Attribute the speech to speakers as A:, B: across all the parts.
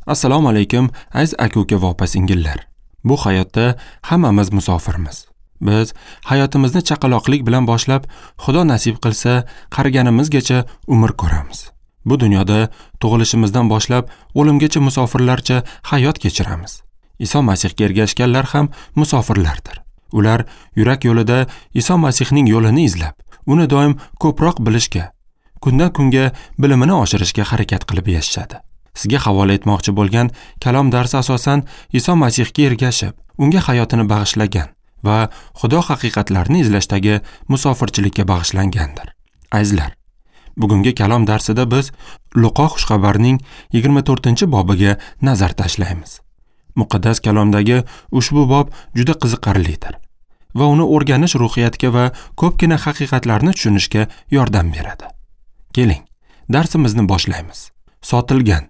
A: Assalomu alaykum, aziz aka-uka va opa-singillar. Bu hayotda hammamiz musofirmiz. Biz hayotimizni chaqaloqlik bilan boshlab, Xudo nasib qilsa, qariganimizgacha umr ko'ramiz. Bu dunyoda tug'ilishimizdan boshlab o'limgacha musofirlarcha hayot kechiramiz. Iso Masihga ergashganlar ham musofirlardir. Ular yurak yo'lida Iso Masihning yo'lini izlab, uni doim ko'proq bilishga, kundan kunga bilimini oshirishga harakat qilib yashashadi. Sizga havola etmoqchi bo'lgan kalom darsi asosan Iso Masihga ergashib, unga hayotini bag'ishlagan va Xudo haqiqatlarini izlashdagi musofirchilikka bag'ishlangandir. Azizlar, bugungi kalom darsida biz Luqo xushxabarning 24-bobiga nazar tashlaymiz. Muqaddas kalomdagi ushbu bob juda qiziqarlidir va uni o'rganish ruhiyatga va ko'pgina haqiqatlarni tushunishga yordam beradi. Keling, darsimizni boshlaymiz. Sotilgan,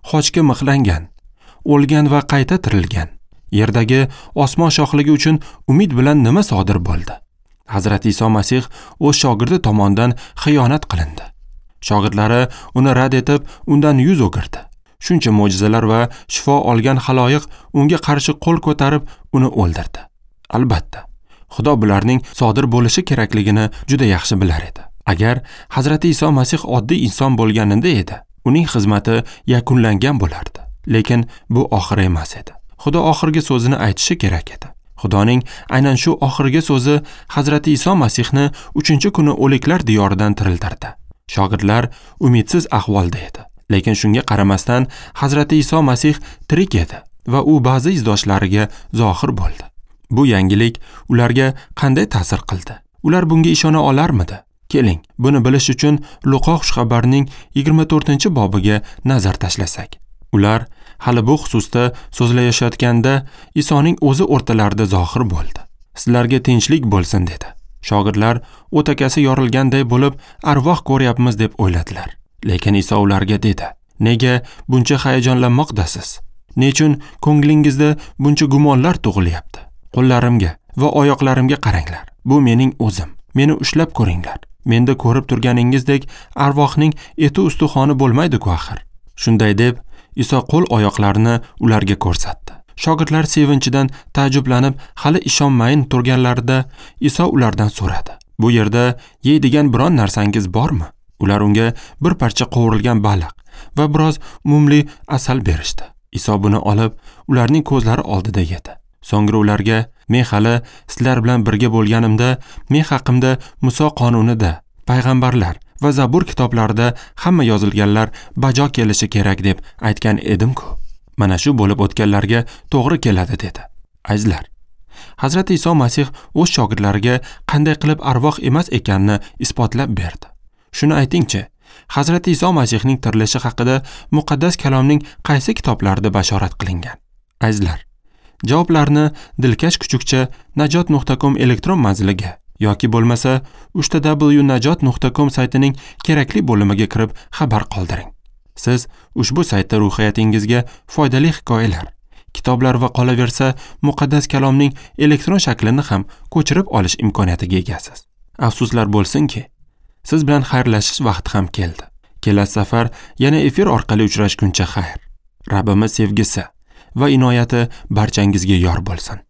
A: xochga mixlangan, o'lgan va qayta tirilgan, yerdagi osmon shohligi uchun umid bilan nima sodir bo'ldi? Hazrati Iso Masih o'z shogirdi tomonidan xiyonat qilindi. Shogirdlari uni rad etib, undan yuz o'girdi. Shuncha mo'jizalar va shifo olgan xaloyiq unga qarshi qo'l ko'tarib, uni o'ldirdi. Albatta, Xudo bularning sodir bo'lishi kerakligini juda yaxshi bilar edi. Agar Hazrati Iso Masih oddiy inson bo'lganida edi, uning xizmati yakunlangan bo'lardi. Lekin bu oxiri emas edi. Xudo oxirgi so'zini aytishi kerak edi. Xudoning aynan shu oxirgi so'zi Hazrati Iso Masihni 3-kuni o'liklar diyoridan tiriltirdi. Shogirdlar umidsiz ahvolda edi. Lekin shunga qaramasdan Hazrati Iso Masih tirik edi va u ba'zi izdoshlariga zohir bo'ldi. Bu yangilik ularga qanday ta'sir qildi? Ular bunga ishona olarmidi? Keling, buni bilish uchun Luqo xushxabarning 24-bobiga nazar tashlasak. Ular hali bu xususda so'zlashayotganda Isoning o'zi o'rtalarida zohir bo'ldi. Sizlarga tinchlik bo'lsin dedi. Shogirdlar o'takasi yorilganday bo'lib, arvoh ko'ryapmiz deb o'yladilar. Lekin Iso ularga dedi: "Nega buncha hayajonlanmoqdasiz? Nechun ko'nglingizda buncha gumonlar tug'ilyapti? Qo'llarimga va oyoqlarimga qaranglar. Bu mening o'zim. Meni ushlab ko'ringlar. Menda ko'rib turganingizdek arvohning eti ustuxoni bo'lmaydi-ku axir." Shunday deb Iso qo'l oyoqlarini ularga ko'rsatdi. Shogirdlar sevinchidan taajjublanib, hali ishonmayin turganlarida Iso ulardan so'radi: "Bu yerda yeydigan biron narsangiz bormi?" Ular unga bir parcha qovurilgan baliq va biroz mumli asal berishdi. Iso buni olib, ularning ko'zlari oldida yedi. So'ngra ularga: "Men hali sizlar bilan birga bo'lganimda, men haqimda Muso qonunida, payg'ambarlar va Zabur kitoblarida hamma yozilganlar bajo kelishi kerak deb aytgan edim-ku. Mana shu bo'lib o'tganlarga to'g'ri keladi" dedi. Azizlar, Hazrati Iso Masih o'z shogirdlariga qanday qilib arvoh emas ekanini isbotlab berdi. Shuni aytingchi, Hazrati Iso Masihning tirilishi haqida muqaddas kalomning qaysi kitoblarida bashorat qilingan? Azizlar, javoblarni dilkash kuchukcha najot.com elektron manziliga yoki bo'lmasa www.najot.com saytining kerakli bo'limiga kirib xabar qoldiring. Siz ushbu saytda ruhiyatingizga foydali hikoyalar, kitoblar va qolaversa muqaddas kalomning elektron shaklini ham ko'chirib olish imkoniyatiga egasiz. Afsuslar bo'lsinki, siz bilan xayrlashish vaqti ham keldi. Kelasi safar yana efir orqali uchrashguncha xayr. Rabbimiz sevgisi va inoyati barchangizga yor bo'lsin.